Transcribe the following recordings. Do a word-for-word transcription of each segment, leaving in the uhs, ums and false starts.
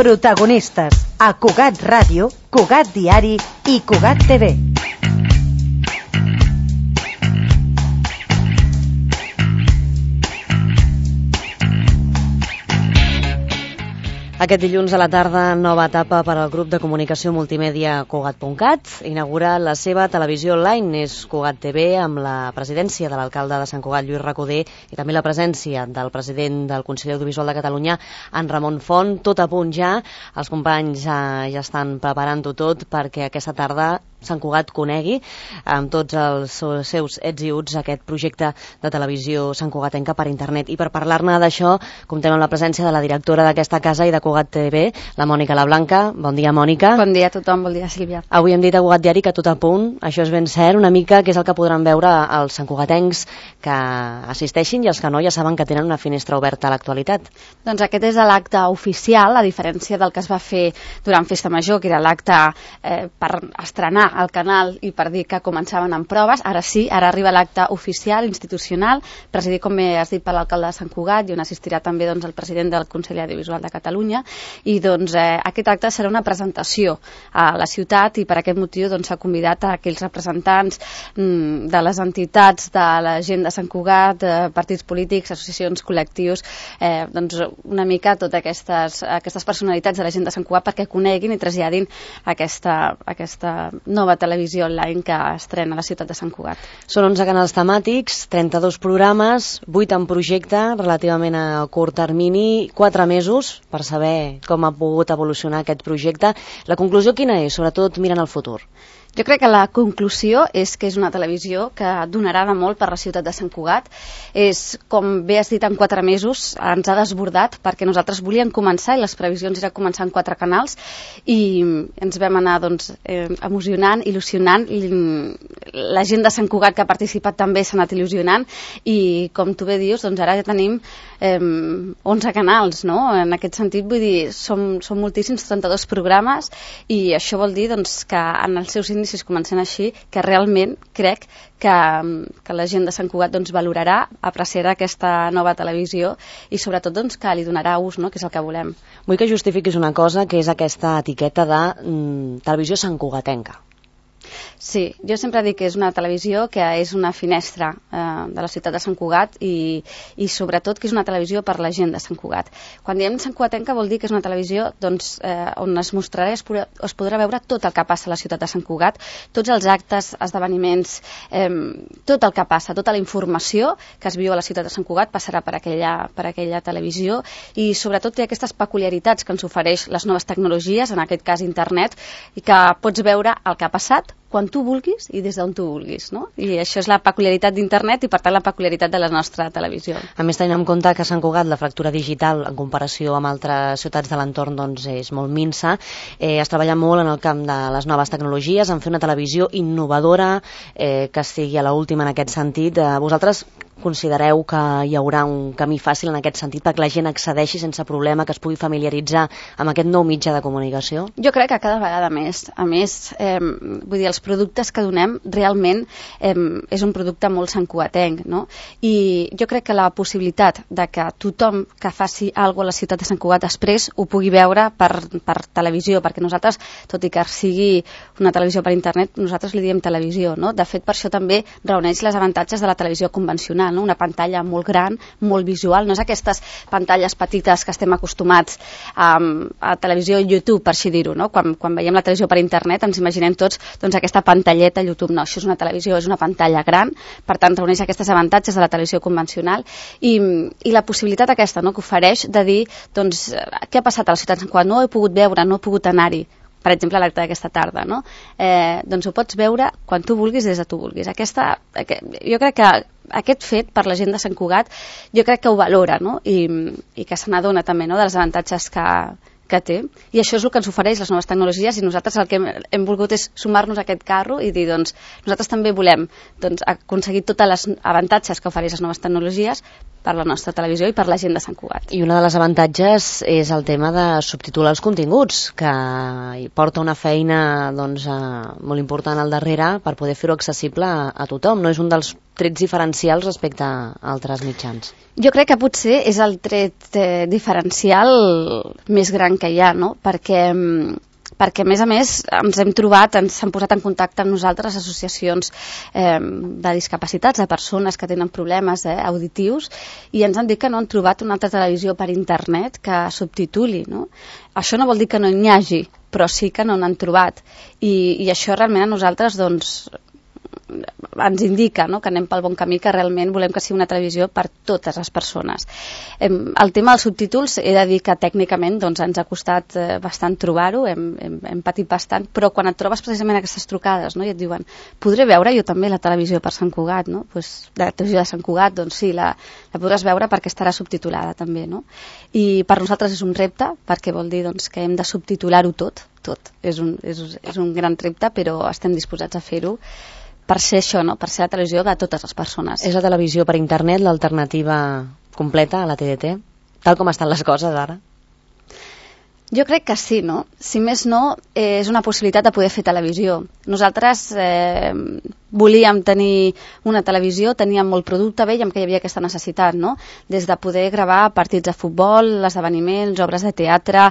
Protagonistes a Cugat Ràdio, Cugat Diari i Cugat T V. Aquest dilluns a la tarda, nova etapa per al grup de comunicació multimèdia Cugat punt cat. Inaugura la seva televisió online, és Cugat T V, amb la presidència de l'alcalde de Sant Cugat, Lluís Recoder, i també la presència del president del Consell Audiovisual de Catalunya, en Ramon Font. Tot a punt ja, els companys ja, ja estan preparant-ho tot perquè aquesta tarda Sant Cugat conegui amb tots els seus ets i uts aquest projecte de televisió Sant Cugatenca per internet. I per parlar-ne d'això, comptem amb la presència de la directora d'aquesta casa i de Cugat T V, la Mònica Lablanca. Bon dia, Mònica. Bon dia a tothom, bon dia, Sílvia. Avui hem dit a Cugat Diari que tot a punt, això és ben cert, una mica que és el que podran veure els santcugatencs que assisteixin i els que no ja saben que tenen una finestra oberta a l'actualitat. Doncs aquest és l'acte oficial, a diferència del que es va fer durant Festa Major, que era l'acte eh, per estrenar al canal i per dir que començaven amb proves. Ara sí, ara arriba l'acte oficial, institucional, presidit, com has dit, per l'alcalde de Sant Cugat, i on assistirà també doncs, el president del Consell Audiovisual de Catalunya. I doncs, eh, aquest acte serà una presentació a la ciutat i per aquest motiu doncs, s'ha convidat a aquells representants mm, de les entitats, de la gent de Sant Cugat, eh, partits polítics, associacions, col·lectius, eh, doncs una mica totes aquestes, aquestes personalitats de la gent de Sant Cugat perquè coneguin i traslladin aquesta, aquesta nova televisió online que estrena a la ciutat de Sant Cugat. Són onze canals temàtics, trenta-dos programes, vuit en projecte, relativament a curt termini, quatre mesos per saber com ha pogut evolucionar aquest projecte. La conclusió quina és, sobretot mirant al futur? Jo crec que la conclusió és que és una televisió que donarà de molt per la ciutat de Sant Cugat. És, com bé has dit, en quatre mesos ens ha desbordat perquè nosaltres volíem començar i les previsions era començar en quatre canals i ens vam anar doncs, eh, emocionant, il·lusionant. I la gent de Sant Cugat que ha participat també s'ha anat il·lusionant i, com tu bé dius, doncs ara ja tenim eh, onze canals, no? En aquest sentit, vull dir, som, som moltíssims, trenta-dos programes, i això vol dir doncs, que en els seus inicis comencen així, que realment crec que, que la gent de Sant Cugat doncs, valorarà, apreciarà aquesta nova televisió i sobretot doncs, que li donarà ús, no? Que és el que volem. Vull que justifiquis una cosa, que és aquesta etiqueta de mm, televisió santcugatenca. Sí, jo sempre dic que és una televisió que és una finestra eh, de la ciutat de Sant Cugat i, i sobretot que és una televisió per la gent de Sant Cugat. Quan diem santcugatenca vol dir que és una televisió doncs, eh, on es mostrarà i es podrà, es podrà veure tot el que passa a la ciutat de Sant Cugat, tots els actes, esdeveniments, eh, tot el que passa, tota la informació que es viu a la ciutat de Sant Cugat passarà per aquella, per aquella televisió i sobretot té aquestes peculiaritats que ens ofereix les noves tecnologies, en aquest cas internet, i que pots veure el que ha passat quan tu vulguis i des d'on tu vulguis, no? I això és la peculiaritat d'internet i per tant la peculiaritat de la nostra televisió. A més, tenint en compte que a Sant Cugat la fractura digital en comparació amb altres ciutats de l'entorn doncs, és molt minsa, eh, es treballa molt en el camp de les noves tecnologies, en fer una televisió innovadora eh, que estigui a l'última en aquest sentit. Eh, vosaltres considereu que hi haurà un camí fàcil en aquest sentit perquè la gent accedeixi sense problema, que es pugui familiaritzar amb aquest nou mitjà de comunicació? Jo crec que cada vegada més. A més, eh, vull dir, els productes que donem realment eh, és un producte molt santcugatenc, no? I jo crec que la possibilitat de que tothom que faci alguna cosa a la ciutat de Sant Cugat després ho pugui veure per, per televisió, perquè nosaltres, tot i que sigui una televisió per internet, nosaltres li diem televisió, no? De fet, per això també reuneix les avantatges de la televisió convencional, no? Una pantalla molt gran, molt visual, no és aquestes pantalles petites que estem acostumats a, a televisió i YouTube, per així dir-ho, no? Quan, quan veiem la televisió per internet ens imaginem tots doncs, aquesta pantalleta a YouTube. No, això és una televisió, és una pantalla gran, per tant reuneix aquestes avantatges de la televisió convencional i, i la possibilitat aquesta, no? Que ofereix de dir, doncs, què ha passat a la ciutat de Sant Cugat? No he pogut veure, no he pogut anar-hi, per exemple, a l'acte d'aquesta tarda, no? Eh, doncs ho pots veure quan tu vulguis, des de tu vulguis. Aquesta, aquest, jo crec que aquest fet, per la gent de Sant Cugat, jo crec que ho valora, no? I, i que se n'adona també, no? De les avantatges que, que té. I això és el que ens ofereix les noves tecnologies i nosaltres el que hem, hem volgut és sumar-nos a aquest carro i dir, doncs, nosaltres també volem doncs, aconseguir totes les avantatges que ofereix les noves tecnologies, per la nostra televisió i per la gent de Sant Cugat. I una de les avantatges és el tema de subtitular els continguts, que hi porta una feina doncs, molt important al darrere per poder fer-ho accessible a, a tothom. No és un dels trets diferencials respecte a altres mitjans. Jo crec que potser és el tret eh, diferencial més gran que hi ha, no? Perquè perquè a més a més ens hem trobat, ens han posat en contacte amb nosaltres associacions eh, de discapacitats, de persones que tenen problemes eh, auditius, i ens han dit que no han trobat una altra televisió per internet que subtituli, no? Això no vol dir que no n'hi hagi, però sí que no n'han trobat, i, i això realment a nosaltres doncs ens indica, no?, que anem pel bon camí, que realment volem que sigui una televisió per totes les persones. El tema dels subtítols, he de dir que tècnicament doncs, ens ha costat bastant trobar-ho, hem, hem, hem patit bastant, però quan et trobes precisament aquestes trucades, no?, i et diuen, podré veure jo també la televisió per Sant Cugat, no?, pues, la televisió de Sant Cugat, doncs sí, la, la podràs veure perquè estarà subtitulada també, no? I per nosaltres és un repte, perquè vol dir doncs, que hem de subtitular-ho tot, tot. És un, és, és un gran repte, però estem disposats a fer-ho per ser això, no? Per ser la televisió de totes les persones. És la televisió per internet l'alternativa completa a la T D T? Tal com estan les coses ara? Jo crec que sí, no? Si més no, eh, és una possibilitat de poder fer televisió. Nosaltres eh, volíem tenir una televisió, teníem molt producte, veiem que hi havia aquesta necessitat, no? Des de poder gravar partits de futbol, esdeveniments, obres de teatre,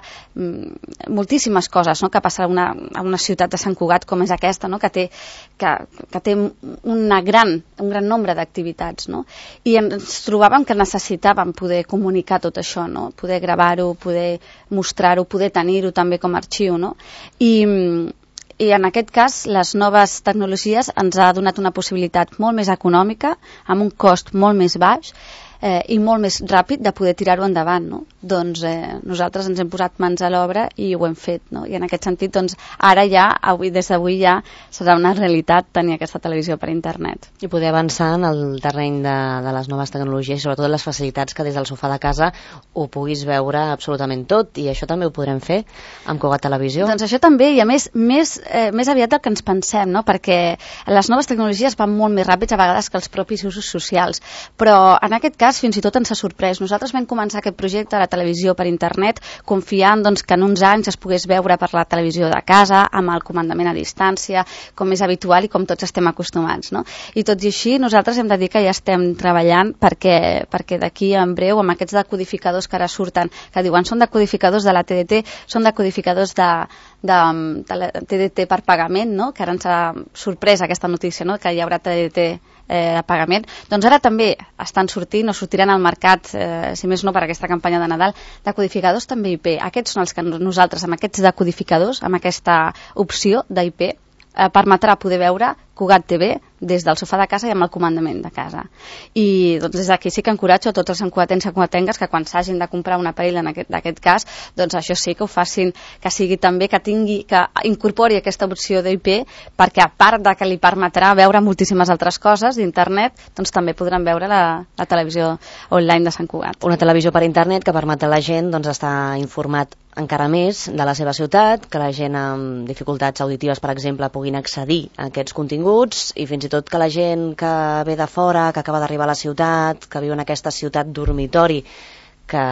moltíssimes coses, no?, que passen a una, a una ciutat de Sant Cugat com és aquesta, no?, que té, que, que té una gran, un gran nombre d'activitats, no? I ens trobàvem que necessitàvem poder comunicar tot això, no? Poder gravar-ho, poder mostrar-ho, poder tenir-ho també com a arxiu, no? I, i en aquest cas les noves tecnologies ens ha donat una possibilitat molt més econòmica, amb un cost molt més baix, eh, i molt més ràpid de poder tirar-ho endavant, no? Doncs eh, nosaltres ens hem posat mans a l'obra i ho hem fet, no? I en aquest sentit, doncs, ara ja, avui, des d'avui ja, serà una realitat tenir aquesta televisió per internet. I poder avançar en el terreny de, de les noves tecnologies i sobretot les facilitats que des del sofà de casa ho puguis veure absolutament tot, i això també ho podrem fer amb Cugat Televisió. Doncs això també, i a més, més, eh, més aviat del que ens pensem, no? Perquè les noves tecnologies van molt més ràpids a vegades que els propis usos socials, però en aquest cas fins i tot ens ha sorprès. Nosaltres vam començar aquest projecte de la televisió per internet confiant doncs, que en uns anys es pogués veure per la televisió de casa, amb el comandament a distància, com és habitual i com tots estem acostumats, no? I tot i així, nosaltres hem de dir que ja estem treballant perquè, perquè d'aquí en breu, amb aquests decodificadors que ara surten, que diuen són decodificadors de la T D T, són decodificadors de, de, de la T D T per pagament, no?, que ara ens ha sorprès aquesta notícia, no?, que hi haurà T D T Eh, de pagament, doncs ara també estan sortint o sortiran al mercat, eh, si més no per aquesta campanya de Nadal, decodificadors també I P. Aquests són els que nosaltres, amb aquests decodificadors, amb aquesta opció d'I P, eh, permetrà poder veure Cugat T V des del sofà de casa i amb el comandament de casa. I doncs des d'aquí sí que encoratjo a tots els sancuatencs i sancuatengues que quan s'hagin de comprar un aparell en aquest, d'aquest cas, doncs això sí que ho facin, que sigui també, que tingui, que incorpori aquesta opció d'I P, perquè a part de que li permetrà veure moltíssimes altres coses d'internet, doncs també podran veure la, la televisió online de Sant Cugat. Una televisió per internet que permet a la gent doncs, estar informat encara més de la seva ciutat, que la gent amb dificultats auditives, per exemple, puguin accedir a aquests continguts, i fins i tot que la gent que ve de fora, que acaba d'arribar a la ciutat, que viu en aquesta ciutat dormitori, que,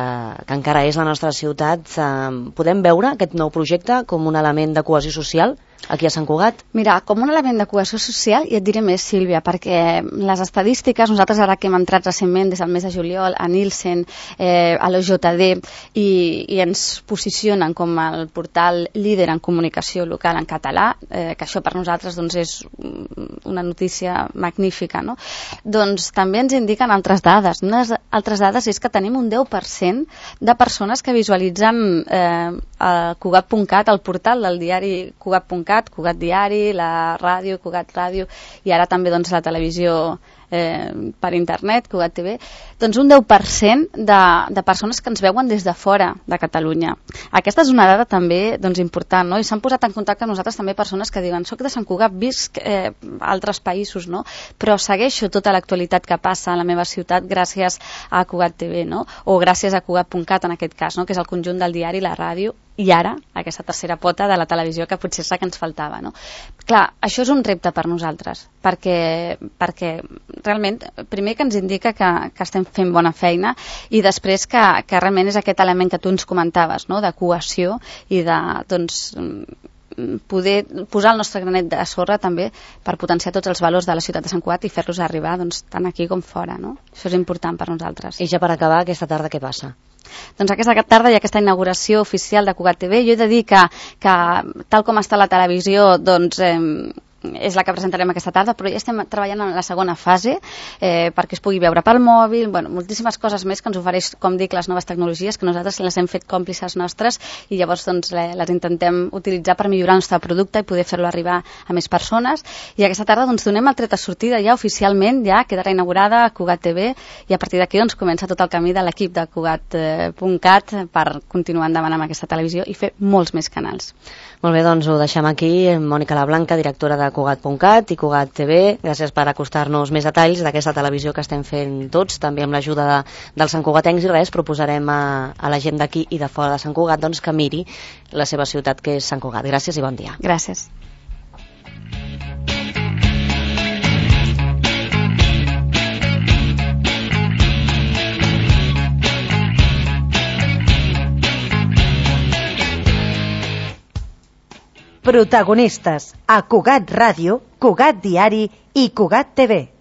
que encara és la nostra ciutat, eh, podem veure aquest nou projecte com un element de cohesió social aquí a Sant Cugat? Mira, com un element de cohesió social, i et diré més, Sílvia, perquè les estadístiques, nosaltres ara que hem entrat recentment des del mes de juliol a Nielsen, eh, a l'O J D, i, i ens posicionen com el portal líder en comunicació local en català, eh, que això per nosaltres doncs, és una notícia magnífica, no? Doncs també ens indiquen altres dades. Unes altres dades és que tenim un deu per cent de persones que visualitzen eh, a Cugat punt cat, el portal del diari Cugat punt cat, Cugat Diari, la ràdio, Cugat Ràdio, i ara també doncs, la televisió eh, per internet, Cugat T V, doncs un deu per cent de, de persones que ens veuen des de fora de Catalunya. Aquesta és una dada també doncs, important, no? I s'han posat en contacte amb nosaltres també persones que diuen soc de Sant Cugat, visc eh, a altres països, no? Però segueixo tota l'actualitat que passa a la meva ciutat gràcies a Cugat T V, no? O gràcies a Cugat punt cat en aquest cas, no? Que és el conjunt del diari, la ràdio i ara aquesta tercera pota de la televisió que potser és la que ens faltava, no? Clar, això és un repte per nosaltres, perquè, perquè realment, primer que ens indica que, que estem fent bona feina i després que, que realment és aquest element que tu ens comentaves, no? De cohesió i de, doncs, poder posar el nostre granet de sorra també per potenciar tots els valors de la ciutat de Sant Cugat i fer-los arribar doncs, tant aquí com fora, no? Això és important per nosaltres. I ja per acabar, aquesta tarda què passa? Doncs aquesta tarda hi ha aquesta inauguració oficial de Cugat T V. Jo he de dir que, que tal com està la televisió, doncs... Eh, és la que presentarem aquesta tarda, però ja estem treballant en la segona fase eh, perquè es pugui veure pel mòbil, bueno, moltíssimes coses més que ens ofereix, com dic, les noves tecnologies, que nosaltres les hem fet còmplices nostres i llavors doncs, les intentem utilitzar per millorar el nostre producte i poder fer-lo arribar a més persones. I aquesta tarda doncs, donem el tret de sortida ja oficialment, ja quedarà inaugurada a Cugat T V i a partir d'aquí doncs, comença tot el camí de l'equip de Cugat punt cat per continuar endavant amb aquesta televisió i fer molts més canals. Molt bé, doncs ho deixem aquí. Mònica Lablanca, directora de Cugat punt cat i Cugat T V, gràcies per acostar-nos més detalls d'aquesta televisió que estem fent tots, també amb l'ajuda de, dels santcugatencs, i res, proposarem a, a la gent d'aquí i de fora de Sant Cugat doncs, que miri la seva ciutat, que és Sant Cugat. Gràcies i bon dia. Gràcies. Protagonistes a Cugat Ràdio, Cugat Diari i Cugat T V.